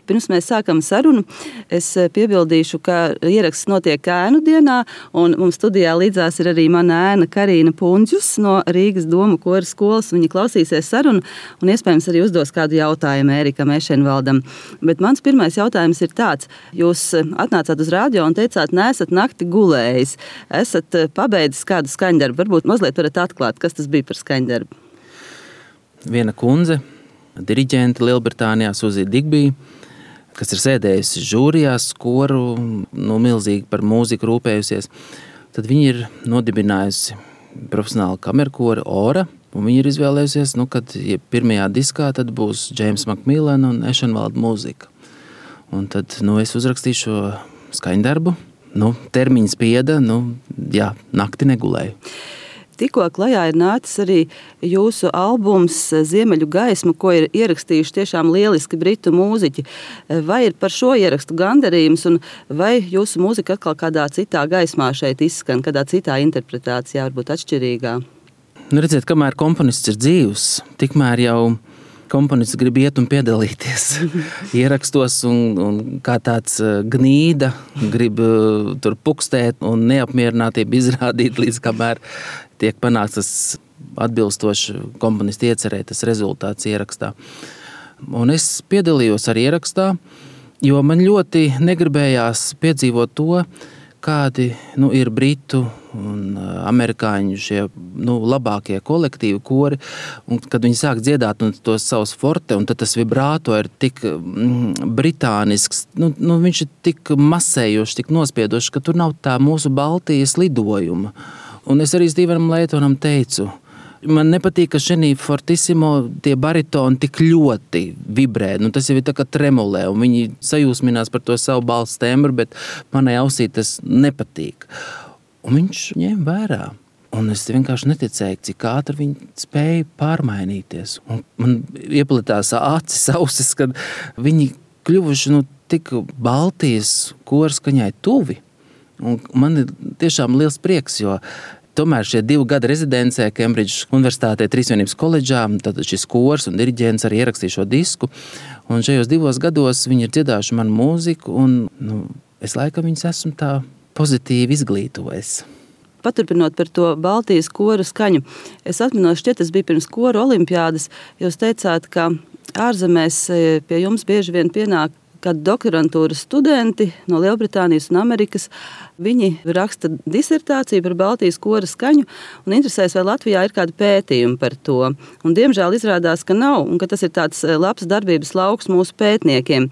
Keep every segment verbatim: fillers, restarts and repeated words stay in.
pirms mēs sākam sarunu, es piebildīšu, ka ieraksts notiek ēnu dienā, un mums studijā līdzās ir arī mana ēna Karīna Punģus no Rīgas Domu kora skolas. Viņa klausīsies sarunu un iespējams arī uzdos kādu jautājumu Ērikam Ešenvaldam. Bet mans pirmais jautājums ir tāds. Jūs atnācāt uz radio un teicāt, neesat nakti gulējis. Esat pabeidzis kādu skaņdarbu. Varbūt mazliet varat atklāt, kas tas bija par skaņdarbu. Viena kundze, diriģente Lielbritānijā, Suzija Digbija, kas ir sēdējusi žūrijās, koru, nu, milzīgi par mūziku rūpējusies, tad viņa ir nodibinājusi profesionālu kamerkoru Ora, un viņa ir izvēlējusies, nu, kad ja pirmajā diskā tad būs James Macmillan un Ešenvalda mūzika. Un tad, nu, es uzrakstīju šo skaņdarbu, nu, termiņš spieda, nu, jā, nakti negulēju. Tikko klajā ir nācis arī jūsu albums Ziemeļu gaisma, ko ir ierakstījuši tiešām lieliski britu mūziķi. Vai ir par šo ierakstu gandarījums, un vai jūsu mūzika atkal kādā citā gaismā šeit izskan, kādā citā interpretācijā, varbūt atšķirīgā? Nu, redziet, kamēr komponists ir dzīvs, tikmēr jau komponists grib iet un piedalīties ierakstos, un, un kā tāds gnīda grib tur pukstēt un neapmierinātību izrādīt, līdz kamēr tiek panāks tas atbilstoši komponisti iecerē, tas rezultāts ierakstā. Un es piedalījos arī ierakstā, jo man ļoti negribējās piedzīvot to, kādi nu, ir britu un amerikāņu šie nu, labākie kolektīvi kori, un kad viņi sāk dziedāt un tos savus forte, un tad tas vibrāto ir tik mm, britānisks, nu, nu, viņš ir tik masējošs, tik nospiedošs, ka tur nav tā mūsu Baltijas lidojuma. Un es arī Stevenam Leitonam teicu, man nepatīk, ka šenī fortissimo tie baritoni tik ļoti vibrē. Nu, tas jau ir tā kā tremolē, un viņi sajūsminās par to savu balss tembru, bet manai ausī tas nepatīk. Un viņš ņēma vērā. Un es vienkārši neticēju, cik ātri viņi spēja pārmainīties. Un man ieplatās acis, ausis, kad viņi kļuvuši nu, tik Baltijas korskaņai tuvi. Un man ir tiešām liels prieks, jo tomēr šie divi gadi rezidencē Kembridžas Universitātē Trīsvienības koledžā, tad šis kors un diriģents arī ierakstīja šo disku. Un šajos divos gados viņi ir dziedājuši manu mūziku, un nu, es laikam viņus esmu tā pozitīvi izglītojis. Paturpinot par to Baltijas koru skaņu, es atminos, šķiet, tas bija pirms koru olimpiādas, jūs teicāt, ka ārzemēs pie jums bieži vien pienāk kad doktorantūras studenti no Lielbritānijas un Amerikas, viņi raksta disertāciju par Baltijas kora skaņu un interesēs, vai Latvijā ir kādi pētījumi par to. Un diemžēl izrādās, ka nav, un ka tas ir tāds labs darbības lauks mūsu pētniekiem.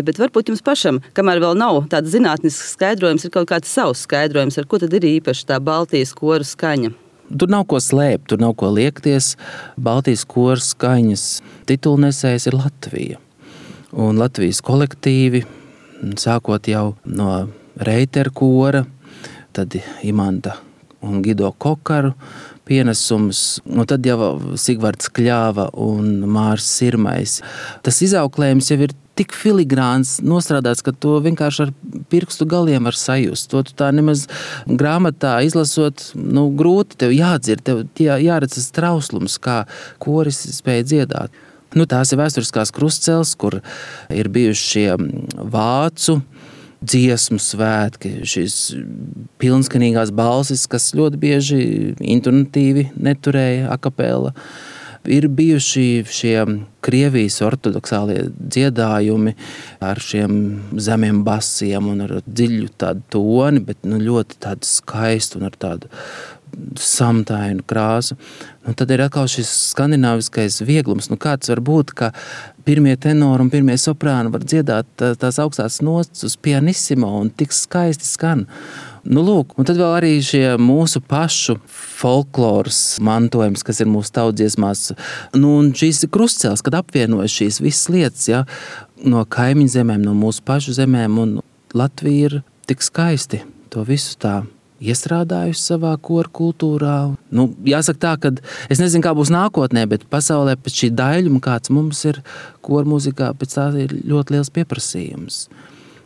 Bet varbūt jums pašam, kamēr vēl nav tāds zinātnisks skaidrojums, ir kaut kāds savs skaidrojums, ar ko tad ir īpaši tā Baltijas kora skaņa. Tur nav ko slēpt, tur nav ko liekties. Baltijas kora skaņas titulnesējs ir Latvija. Un Latvijas kolektīvi, sākot jau no Reiter kora, tad Imanta un Gido Kokaru pienesums, un tad jau Sigvards Kļāva un Mārs Sirmais. Tas izauklējums jau ir tik filigrāns nostrādāts, ka to vienkārši ar pirkstu galiem var sajust. To tu tā nemaz grāmatā izlasot, nu, grūti tev jādzird, tev jā, jāredz tas trauslums, kā koris spēja dziedāt. Nu, tās ir vēsturiskās krustceles, kur ir bijuši šie vācu dziesmu svētki, šīs pilnskanīgās balsis, kas ļoti bieži intonatīvi neturēja akapela. Ir bijuši šie Krievijas ortodoksālie dziedājumi ar šiem zemiem basiem un ar dziļu tādu toni, bet nu, ļoti tādu skaistu un ar tādu samtainu krāsu. Nu, tad ir atkal šis skandināviskais vieglums. Nu, kāds var būt, ka pirmie tenori un pirmie soprāni var dziedāt tās augstās nots uz pianissimo un tik skaisti skan. Nu, lūk, un tad vēl arī šie mūsu pašu folkloras mantojums, kas ir mūsu tautdziesmās. Nu, un šīs krustceles, kad apvienojas šīs visas lietas, ja, no kaimiņu zemēm, no mūsu pašu zemēm, un Latvija ir tik skaisti to visu tā iestrādājusi savā koru kultūrā. Nu, jāsaka tā, ka es nezinu, kā būs nākotnē, bet pasaulē pēc šī daļuma, kāds mums ir koru mūzikā, pēc tā ir ļoti liels pieprasījums.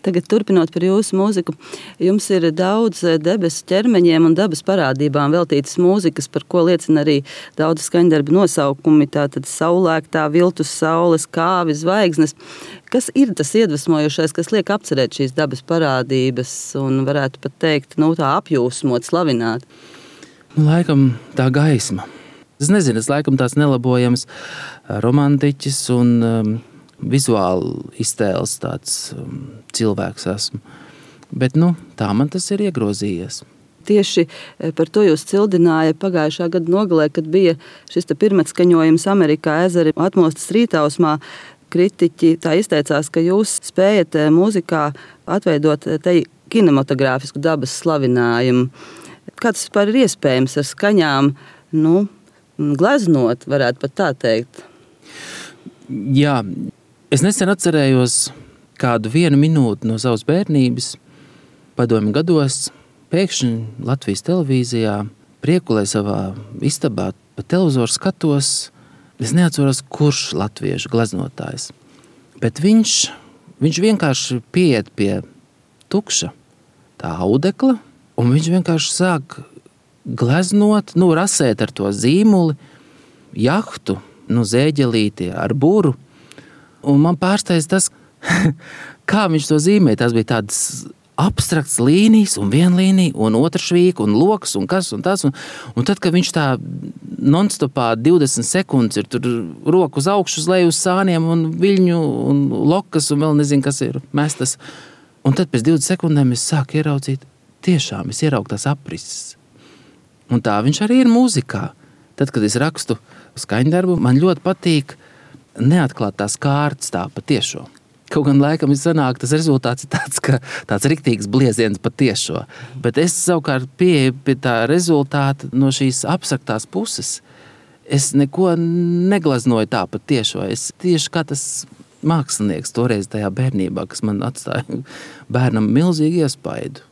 Tagad turpinot par jūsu mūziku, jums ir daudz debesu ķermeņiem un dabas parādībām veltītas mūzikas, par ko liecina arī daudz skaņdarbu nosaukumi, tātad saulēktā, viltus saules, kāvi, zvaigznes. Kas ir tas iedvesmojošais, kas liek apcerēt šīs dabas parādības un varētu pat teikt, nu tā apjūsmot, slavināt? Nu, laikam tā gaisma. Es nezinu, es laikam tās nelabojams romantiķis un um, vizuāli iztēles tāds um, cilvēks esmu. Bet nu, tā man tas ir iegrozījies. Tieši par to jūs cildināja pagājušā gada nogalē, kad bija šis pirmatskaņojums Amerikā ezeri atmostas rītausmā. Kritiķi tā izteicās, ka jūs spējat mūzikā atveidot te kinematogrāfisku dabas slavinājumu. Kā tas vispār ir iespējams ar skaņām, nu, gleznot, varētu pat tā teikt? Jā, es nesen atcerējos kādu vienu minūti no savas bērnības, padomju gados, pēkšņi Latvijas televīzijā, priekulē savā istabā, pa televizoru skatos, es neatceros, kurš latviešu gleznotājs. Bet viņš, viņš vienkārši pieiet pie tukša tā audekla, un viņš vienkārši sāk gleznot, nu, rasēt ar to zīmuli, jahtu, nu, zēģelīti ar buru. Un man pārsteidz tas, kā viņš to zīmē. Tas bija tādas abstrakts līnijas, un viena līnija, un otra švīka, un loks, un kas, un tas. Un, un tad, kad viņš tā non-stopā divdesmit sekundes ir tur roku uz augšu, uz leju, uz sāniem, un viļņu, un lokas, un vēl nezinu, kas ir mestas. Un tad pēc divdesmit sekundēm es sāku ieraudzīt, tiešām es ieraugu tās aprises. Un tā viņš arī ir mūzikā. Tad, kad es rakstu skaņdarbu, man ļoti patīk neatklāt tās kārtas tā patiešo. Kaut gan laikam ir sanāk, tas rezultāts ir tāds, ka tāds riktīgs blieziens patiešo. Bet es savukārt pieeju pie tā rezultāta no šīs abstraktās puses. Es neko neglaznoju tā patiešo. Es tieši kā tas mākslinieks toreiz tajā bērnībā, kas man atstāja bērnam milzīgu iespaidu.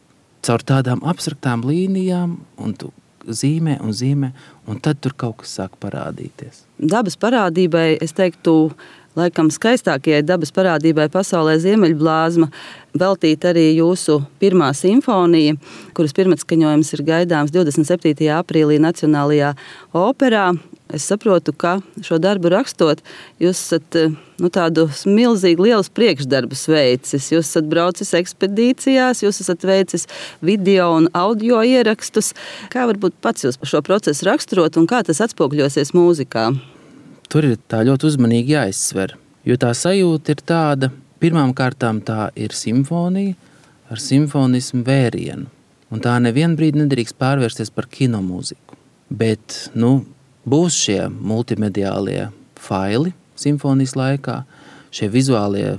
Caur tādām abstraktām līnijām un tu zīmē un zīmē, un tad tur kaut kas sāk parādīties. Dabas parādībai, es teiktu, laikam skaistākajai dabas parādībai pasaulē Ziemeļblāzma veltīta arī jūsu pirmā simfonija, kuras pirmatskaņojums ir gaidāms divdesmit septītajā aprīlī Nacionālajā operā. Es saprotu, ka šo darbu rakstot, jūs esat nu, tādu milzīgi lielus priekšdarbus veicis. Jūs esat braucis ekspedīcijās, jūs esat veicis video un audio ierakstus. Kā varbūt pats jūs šo procesu raksturot un kā tas atspogļosies mūzikā? Tur ir tā ļoti uzmanīgi jāizsver, jo tā sajūta ir tāda, pirmām kārtām tā ir simfonija ar simfonismu vērienu. Un tā nevienu brīdi nedrīkst pārvērsties par kinomūziku. Bet, nu, būs šie multimediālie faili simfonijas laikā, šie vizuālie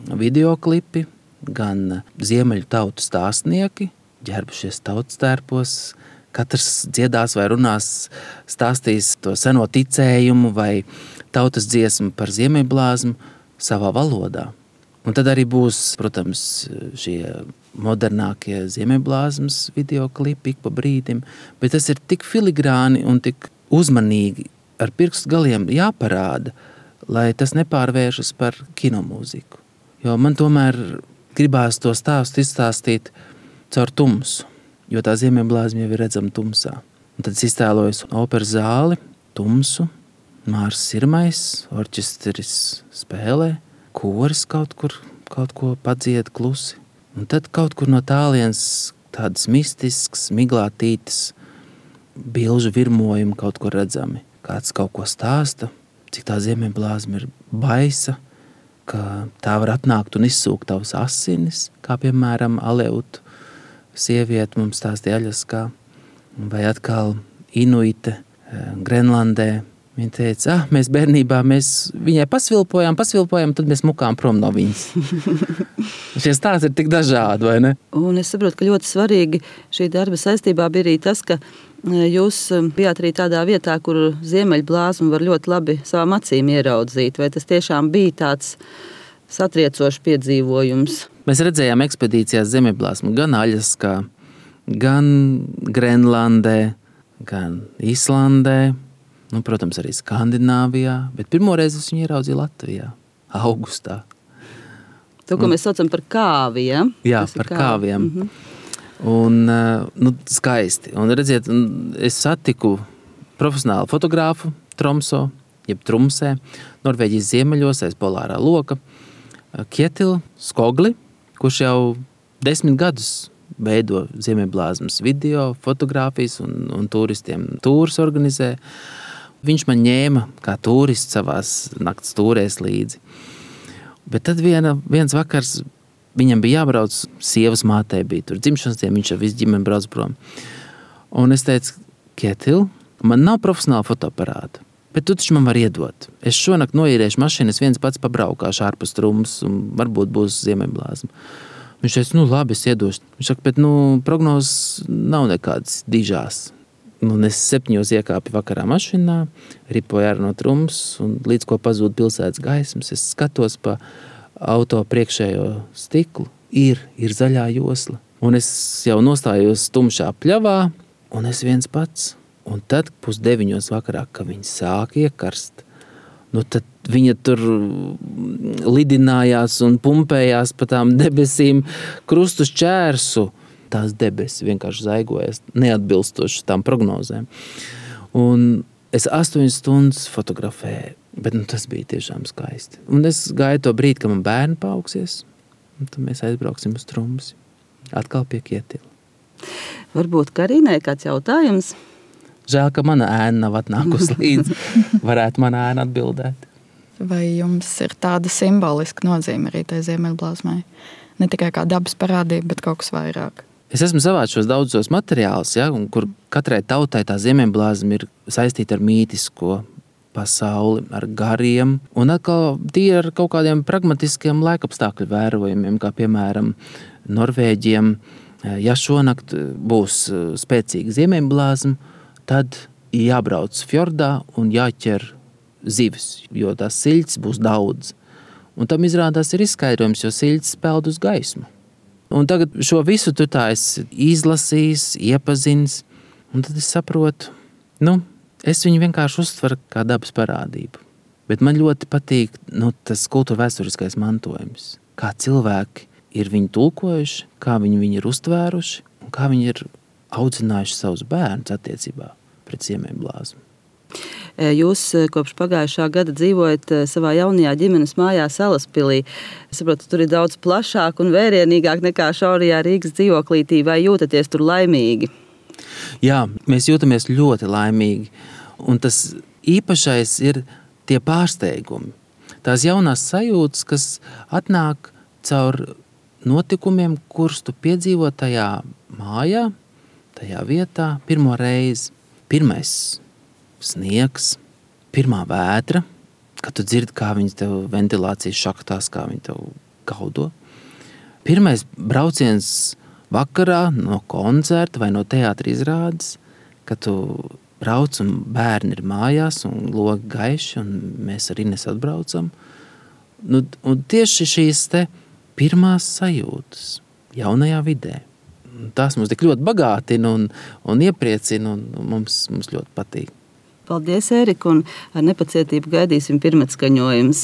videoklipi, gan ziemeļu tautu stāstnieki, ģērbušies tautas tērpos, katrs dziedās vai runās, stāstīs to seno ticējumu vai tautas dziesmu par Ziemeļblāzmu savā valodā. Un tad arī būs, protams, šie modernākie Ziemeļblāzmas videoklipi ik pa brīdim, bet tas ir tik filigrāni un tik uzmanīgi ar pirkstu galiem jāparāda, lai tas nepārvēršas par kinomūziku. Jo man tomēr gribās to stāstu izstāstīt caur tumsu, jo tā Ziemeļblāzma jau ir redzama tumsā. Un tad es iztēlojos operas zāli, tumsu, Mārs Sirmais, orķestris spēlē, koris kaut kur kaut ko padzied klusi. Un tad kaut kur no tālienes tādas mistisks, miglātītas bilžu virmojumi kaut kur redzami. Kāds kaut ko stāsta, cik tā Ziemeļblāzma ir baisa, ka tā var atnākt un izsūkt tavas asinis, kā piemēram Aleutu sieviete mums stāstīja Aļaskā, vai atkal Inuite Grenlandē. Viņa teica, ah, mēs bērnībā mēs viņai pasvilpojām, pasvilpojām, tad mēs mukām prom no viņas. Šie stāsti ir tik dažādi, vai ne? Un es saprotu, ka ļoti svarīgi šī darba saistībā bija arī tas, ka jūs bijāt arī tādā vietā, kur Ziemeļblāzmu var ļoti labi savām acīm ieraudzīt. Vai tas tiešām bija tāds satriecošs piedzīvojums? Mēs redzējām ekspedīcijās Ziemeļblāzmu gan Aļaskā, gan Grenlandē, gan Islandē, nu, protams, arī Skandināvijā, bet pirmoreiz es viņu ieraudzīju Latvijā, augustā. To, ko un, mēs saucam par kāvi, ja? Jā, Tas par kāvi. kāviem. Mm-hmm. Un, nu, skaisti. Un, redziet, es satiku profesionālu fotogrāfu Tromso, jeb Trumsē, Norvēģijas ziemeļos, aiz polārā loka, Kjetilu Skogli, kurš jau desmit gadus veido Ziemeļblāzmas video, fotogrāfijas un, un turistiem tūrus organizē. Viņš man ņēma kā turists savās nakts tūrēs līdzi. Bet tad viena, viens vakars viņam bija jābrauc, sievas mātei bija tur dzimšanas diena, viņš jau visu ģimeni brauc prom. Un es teicu, Kjetil, man nav profesionāla fotoaparāta, bet tu taču man var iedot. Es šonakt noīrēšu mašīnu, es viens pats pabraukāšu ārpus Trumas un varbūt būs Ziemeļblāzma. Viņš teica, nu labi, es iedošu. Viņš saka, bet nu, prognozes nav nekādas dižās. Un es septiņos iekāpu vakarā mašīnā, ripoju ārā no Trumas, un līdz ko pazūd pilsētas gaismas, es skatos pa auto priekšējo stiklu. Ir, ir zaļā josla. Un es jau nostājos tumšā pļavā, un es viens pats. Un tad pusdeviņos vakarā, kad viņi sāk iekarst, nu tad viņa tur lidinājās un pumpējās pa tām debesīm krustu šķērsu. Tās debesis vienkārši zaigojas neatbilstoši tām prognozēm. Un es astoņas stundas fotografēju, bet nu, tas bija tiešām skaisti. Un es gāju to brīdi, kad man bērni paaugsies, un tad mēs aizbrauksim uz Trumsi. Atkal pie Kjetila. Varbūt Karīnai kāds jautājums? Žēl, ka mana ēna nav atnākusi līdzi. Varētu mana ēna atbildēt. Vai jums ir tāda simboliska nozīme arī tai Ziemeļblāzmai? Ne tikai kā dabas parādība, bet kaut kas vairāk. Es esmu savācis šos daudzos materiālus, ja, un kur katrai tautai tā Ziemeļblāzma ir saistīta ar mītisko pasauli, ar gariem, un atkal tie ar kaut kādiem pragmatiskiem laikapstākļu vērojumiem, kā piemēram Norvēģiem. Ja šonakt būs spēcīga Ziemeļblāzma, tad jābrauc fjordā un jāķer zivis, jo tās siļķis būs daudz. Un tam izrādās ir izskaidrojums, jo siļķis peld uz gaismu. Un tagad šo visu tu tā esi izlasījis, iepazins, un tad es saprotu, nu, es viņu vienkārši uztveru kā dabas parādību. Bet man ļoti patīk nu, tas kultūra vēsturiskais mantojums. Kā cilvēki ir viņu tulkojuši, kā viņi viņu ir uztvēruši, un kā viņi ir audzinājuši savus bērnus attiecībā pret Ziemeļblāzmu. Jūs kopš pagājušā gada dzīvojat savā jaunajā ģimenes mājā Salaspilī. Es saprotu, tur ir daudz plašāk un vērienīgāk nekā šaurajā Rīgas dzīvoklītī. Vai jūtaties tur laimīgi? Jā, mēs jūtamies ļoti laimīgi. Un tas īpašais ir tie pārsteigumi. Tās jaunās sajūtas, kas atnāk caur notikumiem, kurus tu piedzīvo tajā mājā, tajā vietā pirmo reizi. Pirmais sniegs, pirmā vētra, kad tu dzirdi, kā viņi tev ventilācijas šaktās, kā viņi tev gaudo. Pirmais brauciens vakarā no koncerta vai no teātra izrādes, kad tu brauc un bērni ir mājās un logi gaiši un mēs ar Ines atbraucam. Nu, un tieši šīs te pirmās sajūtas jaunajā vidē. Tās mums tik ļoti bagātina un, un iepriecina un mums, mums ļoti patīk. Paldies, Ērika, un ar nepacietību gaidīsim pirmatskaņojumus.